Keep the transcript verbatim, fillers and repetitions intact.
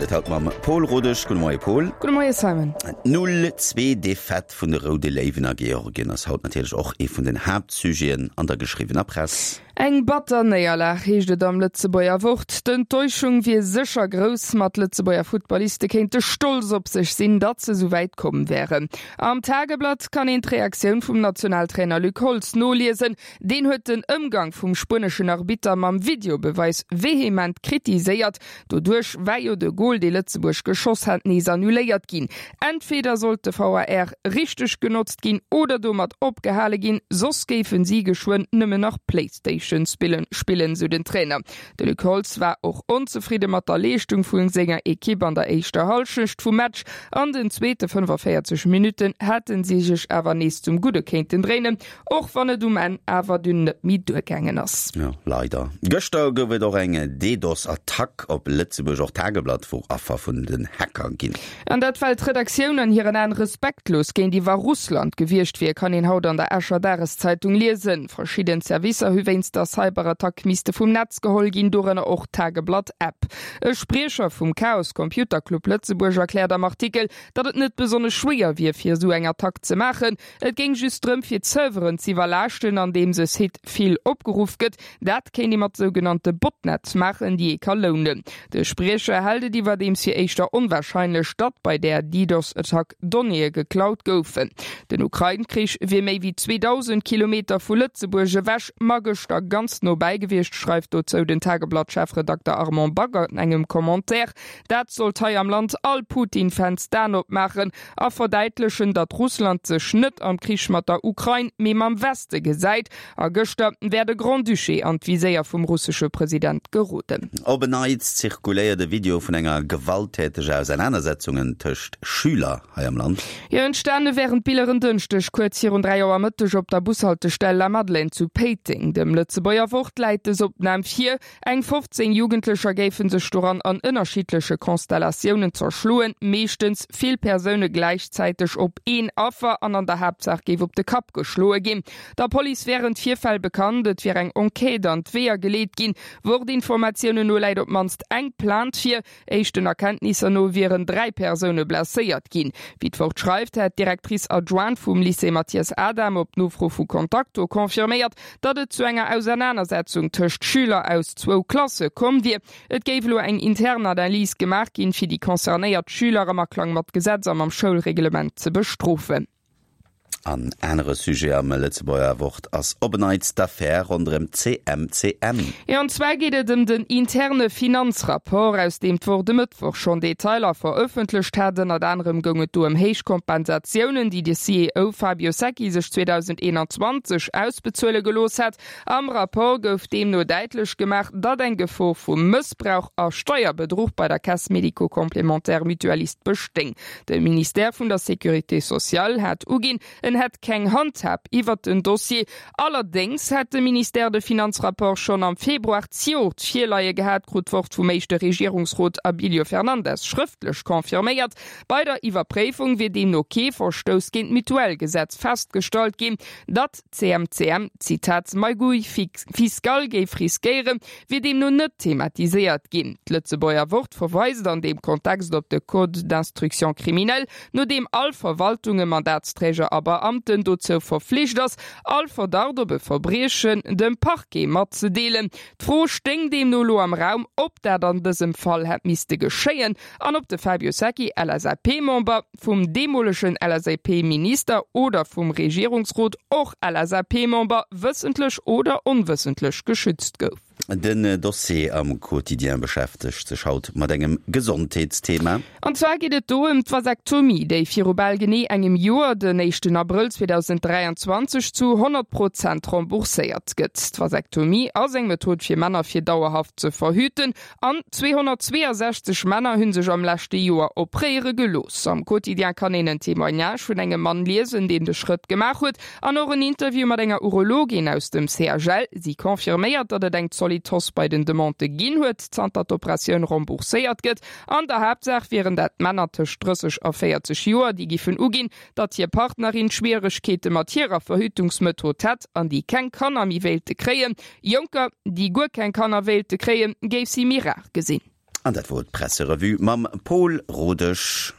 et haut mam Paul Rodesch. Gudde Moie Paul. Gudde Moie Simon. D'Null zwee Defaite vun de Roude Léiwen a Georgien ass haut natierlech och ee vun den Haaptsujeten an der geschriwwener Press. Eng batter Néierlag, heescht et am Lëtzebuerger Wort. D'Enttäuschung wier sécher grouss, ma d'Lëtzebuerger Futtballiste kéinte stolz op sech sinn, datt se esou wäit komm wären. Am Tageblatt kann een d'Reaktioun vum Nationaltrainer Luc Holtz noliesen. Deen huet den Ëmgang vum spueneschen Arbitter mam Videobeweis vehement kritiséiert. Doduerch war jo de Gol, dee Lëtzebuerg geschoss hat, nees annuléiert ginn. Entweder sollt de V A R richteg genotzt ginn oder domat opgehale ginn, soss géifen si geschwënn nëmmen nach Playstation spillen, spillen, sou den Trainer. De Luc Holtz war och onzefridde mat der Leeschtung vu senger Ekipp an der éischter Hallschecht vum Match. An den zweete fënnefaféierzeg Minutten hätte si sech awer nees zum Gudde kéinten dréinen, och wann et um Enn awer dunn net méi duergaangen ass. Jo, leider. Gëschter gouf et och eng DDoS-Attack op Lëtzebuerg. Och d'Tageblatt wor Affer vun den Hacker ginn. An dat well d'Redaktioun an hiren Aen respektlos géintiwwer Russland gewiescht wier, kann een haut an der Escher Dageszeitung liesen. Verschidden Servicer hu wéinst der Cyberattack misste vum Netz geholl ginn, dorënner och d'Tageblatt-App. E Spriecher vum Chaos Computer Club Lëtzebuerg erkläert am Artikel, datt et net besonnesch schwéier wier, fir esou eng Attack ze maachen. Et géing just drëm, fir d'Serveren z'iwwerlaaschten, andeems e Site vill opgeruff gëtt. Dat kéint ee mat sougenannte Botnetz maachen, déi ee ka lounen. De Spriecher hält et iwwerdeems fir éischter onwarscheinlech, datt bei där DDoS-Attack Donnéeë geklaut goufen. Den Ukrain-Krich wier méi wéi zweedausend Kilometer vu Lëtzebuerg ewech, ma gëschter ganz no bäi gewiescht, schreift dozou den Tageblatt-Chefredakter Armand Back an engem Commentaire. Dat sollt hei am Land all Putin-Fans d'Aen opmaachen a verdäitlechen, datt Russland sech net am Krich mat der Ukrain, mee mam Weste gesäit. A gëschter wär de Grand-Duché an d'Viséier vum russesche President geroden. Op en Neits zirkuléiert e Video vun enger gewalttäteger Ausernanersetzungen tëscht Schüler hei am Land. Jo, entstane wären d'Biller en Dënschdeg kuerz virun dräi Auer Mëtteg op der Bushaltestell Lamadelaine zu Péiteng. Dem Lëtzebuerger Wort läit dës Opnam vir. Eng fofzéng Jugendlecher géife sech doran an ënnerschiddleche Konstellatiounen zerschloen, meeschtens vill Persoune gläichzäiteg op een Affer an an der Haaptsaach géif op de Kapp geschloe ginn. Der Police wären d'Virfäll bekannt, et wier eng Enquête an d'Weeër geleet ginn. Wort-Informatiounen no läit op d'mannst eng Plainte vir. Éischten Erkenntnisser no wieren dräi Persoune blesséiert ginn. Wéi d'Wort schreift, hätt d'Directrice adjointe vum Lycée Mathias Adam op Nofro vu Contacto confirméiert, datt et zu enger Ausernanersetzung tëscht Schüler aus zwou Klasse komm wier. Et géif elo eng intern Analys gemaach ginn, fir déi concernéiert Schüler am Aklang mat Gesetz a mam Schoulreglement ze bestrofen. An anere Sujet am Lëtzebuerger Wort ass op en Neits d'Affär ronderëm C M C M. Jo, an zwar geet et ëm den interne Finanzrapport, aus deem d'Wort e Mëttwoch schonn Detailer verëffentlecht hat. Ënnert anerem goung et do ëm héich Kompensatiounen, déi de C E O Fabio Secchi sech zweedausendeenanzwanzeg ausbezuele gelooss hat. Am Rapport gouf deemno däitlech gemaach, datt eng Gefor vu Mëssbrauch a Steierbedruch bei der Caisse médico-complémentaire mutualiste bestéing. De Ministère vun der Sécurité sociale hat uginn, en hätt keng Handhab iwwert den Dossier. Allerdéngs hätt de Ministère de Finanzrapport schonn am Februar zejoert virleie gehat, krut d'Wort vum éischte Regierungsrot Abilio Fernandes schrëftlech confirméiert. Bei der Iwwerpréifung wier deemno kee Verstouss géint d'Mutuellgesetz festgestallt ginn. Datt d'C M C M, Zitat, magouille fiscale géif riskéieren, wier deemno net thematiséiert ginn. D'Lëtzebuerger Wort verweist an deem Kontext op de Code d'instruction criminelle, no deem all Verwaltunge, Mandatsträger a Beamten dozou verflicht ass, all Verdacht op e Verbriechen dem Parquet matzedeelen. D'Fro stéing deemno elo am Raum, ob dat an dësem Fall hätt misste geschéien an ob de Fabio Secchi, L S A P-Member, vum deemolegen L S A P-Minister oder vum Regierungsrot, och L S A P-Member, wëssentlech oder onwëssentlech geschützt gouf. Den Dossier am Quotidien beschäftegt sech haut mat engem Gesondheetsthema. An zwar geet et do ëm d'Vasektomie, déi viru bal genee engem Joer, den éischten Abrëll zweedausendräianzwanzeg, zu honnert Prozent rembourséiert gëtt. D'Vasektomie ass eng Method fir Männer fir dauerhaft ze verhüten an zweehonnertzweeasechzeg Männer hunn sech am leschte Joer opréiere gelooss. Am Quotidien kann een en Témoignage vun engem Mann liesen, deen de Schrëtt gemaach huet an och en Interview mat enger Urologin aus dem C H L. Si confirméiert, datt et eng zolidd Hausse bei den Demandë ginn huet, zanter d'Operatioun rembourséiert gëtt. An der Haaptsaach wieren dat Männer tëscht drësseg a véierzeg Joer, déi giffen uginn, datt hir Partnerin Schwieregkeete mat hirer Verhütungsmethod hätt an déi keng Kanner méi wéilte kréien. Jonker, déi guer keng Kanner wéilte kréien, géif si méi rar gesinn. An dat wor d'Presserevue mam Paul Rodesch.